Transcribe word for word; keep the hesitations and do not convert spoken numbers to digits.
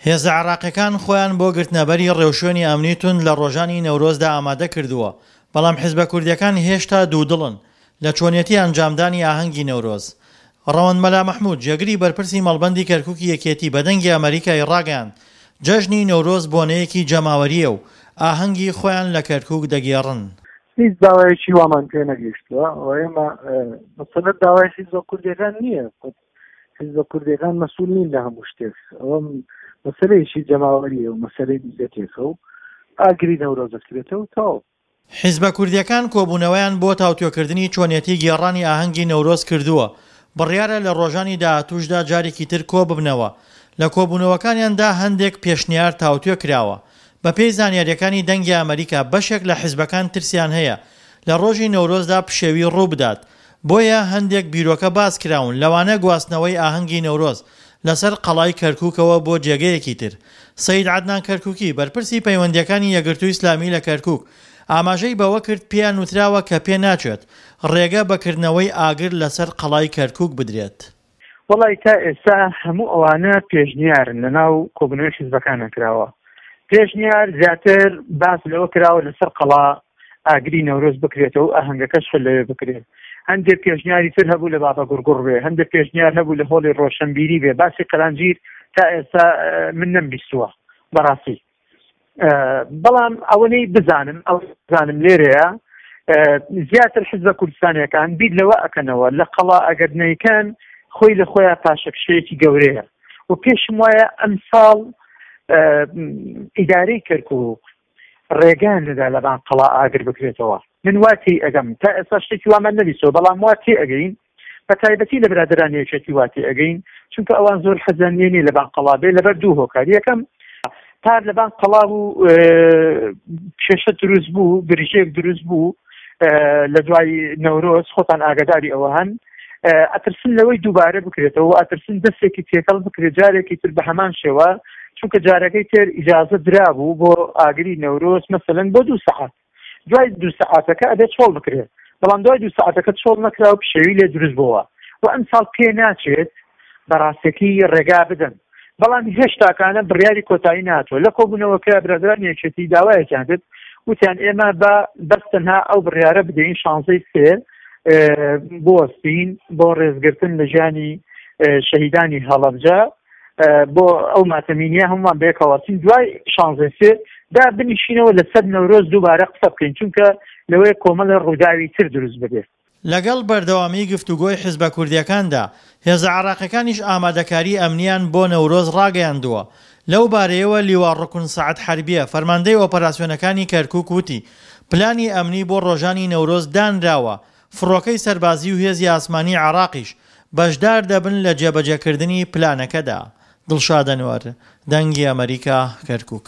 هێزە عێراقیەکان خۆیان بۆ گرتنەبەری ڕێوشوێنی ئەمنی توند لە ڕۆژانی نەورۆزدا ئامادە کردووە، بەڵام حیزبە کوردیەکان هێشتا دوودڵن لە چۆنیەتی ئەنجامدانی ئاهەنگی نەورۆز. ڕەوەند مەلا مەحمود، جێگری بەرپرسی مەڵبەندی کەرکوکی یەکێتی بە دەنگی ئەمەریکای ڕاگەیاند، جەژنی نەورۆز بۆنەیەکی جەماوەرییە و ئاهەنگی خۆیان لە کەرکوک دەگێڕن. هیچ داوایەکی وامان پێ نەگەیشتووە و ئێمە مەسەلە داوای حیزبە کوردیەکان نییە، حیزبە کوردیەکان مەسئول نین لە هەموو شتێک، ئەوە مەسەلەیەکی جەماوەریە و مەسەلەی میللەتێکە و ئاگری نەورۆز دەکرێتەوە تەواو. حیزبە کوردیەکان کۆبوونەوەیان بۆ تاوتوێکردنی چۆنیەتی گێڕانی ئاهەنگی نەورۆز کردووە، بڕیارە لە ڕۆژانی داهاتووشدا جارێکی تر کۆببنەوە، لە کۆبوونەوەکانیاندا هەندێک پێشنیار تاوتوێ کراوە. بەپێی زانیاریەکانی دەنگی ئەمەریکا بەشێک لە حیزبەکان ترسیان هەیە لە ڕۆژی نەورۆزدا پشێوی ڕووبدات، بۆیە هەندێک بیرۆکە باس کراون لەوانە گواستنەوەی ئاهەنگی نەورۆز لەسەر قەڵای کەرکوکەوە بۆ جێگەیەکی تر. سەید عەدنان کەرکوکی، بەرپرسی پەیوەندییەکانی یەکگرتووی ئیسلامی لە کەرکوک، ئاماژەی بەوە کرد پێیان وتراوە کە پێناچێت ڕێگە بە کردنەوەی ئاگر لەسەر قەڵای کەرکوک بدرێت. وەڵی تا ئێستا هەموو ئەوانە پێشنیارن لەناو کۆبوونەوەی حیزبەکانە کراوە. پێشنیار زیاتر باس لەوە کراوە لەسەر قەڵا ئاگری نەورۆز بکرێتەوە و ئاهەنگەکەش خۆ لەوێ بکرێت. هەندێک پێشنیاری تر هەبوو لە بابا گوڕگوڕ بێ، هەندێک پێشنیار هەبوو لە هۆڵی ڕۆشنبیری بێ. باسی قەلانجیر تا ئێستا من نەمبیستووە بەڕاستی، بەڵام ئەوەنەی بزانم ئەو بزانم لێرەیە زیاتر حیزبە کوردستانیەکان بیر لەوە ئەکەنەوە لە قەڵا ئەگەر نەیکەن خۆی لە خۆیان پاشەکشەیەکی گەورەیە و پێشم وایە ئەمساڵ ئیدارەی کەرکوک ڕێگان نەدا لەبان قەڵا ئاگر بکرێتەوە. من وا تێی ئەگەم تا ئێستا شتێکی وامان نەبیستەوە، بەڵام وا تێ ئەگەین بە تایبەتی لە برادەرانی یەکێتی وا تێ ئەگەین، چونکە ئەوان زۆر حەزیان لێ نییە لەبان قەڵا بێ لەبەر دوو هۆکار. یەکەم پار لەبان قەڵا بوو کێشە دروست بوو، گرژێک دروست بوو لە دوای نەورۆز، خۆتان ئاگاداری ئەوە هەن. ئەترسن لەوەی دووبارە بکرێتەوە، ئەترسن دەستێکی تێکەڵ بکرێت جارێکی تر بە هەمان شێوە، چونکە جارەکەی تر ئیجازە درابوو بۆ ئاگری نەورۆز مەسەلەن بۆ دوو سەعات، دوای دوو سەعاتەکە ئەبێت چۆڵ بکرێت، بەڵام دوای دوو سەعاتەکە چۆڵ نەکرا و پشێوی لێ دروست بووە و ئەمساڵ پێ ناچێت بەڕاستەکی ڕێگا بدەن. بەڵام هێشتاکانە بڕیاری کۆتایی ناتوە. لە کۆبوونەوەکە برادرانی یەکێتی داوایەکیان کرد، وتیان ئێمە بە بەس تەنها ئەو بڕیارە بدەین شانزەی سێ بوەستین بۆ ڕێزگرتن لە ژیانی شەهیدانی هەڵەبجە، بۆ ئەو ماتەمینیە هەمووان بەیەکەوەستین، دوای شانزەی سێ دا بنیشینەوە لەسەر نەورۆز دووبارە قسە بکەین، چونکە لەوەیە کۆمەڵە ڕووداوی تر دروست ببێت. لەگەڵ بەردەوامی گفتوگۆی حیزبە کوردیەکاندا، هێزە عێراقیەکانیش ئامادەکاری ئەمنیان بۆ نەورۆز ڕاگەیاندووە. لەو بارەیەوە لیوا ڕوکن سەعد حەربیە، فەرماندەی ئۆپەراسیۆنەکانی کەرکوک وتی، پلانی ئەمنی بۆ ڕۆژانی نەورۆز دانراوە، فڕۆکەی سەربازی و هێزی ئاسمانی عێراقیش بەشدار دەبن لە جێبەجێکردنی پلانەکەدا. دڵشاد ئەنوەر، دەنگی ئەمەریکا، کەرکوک.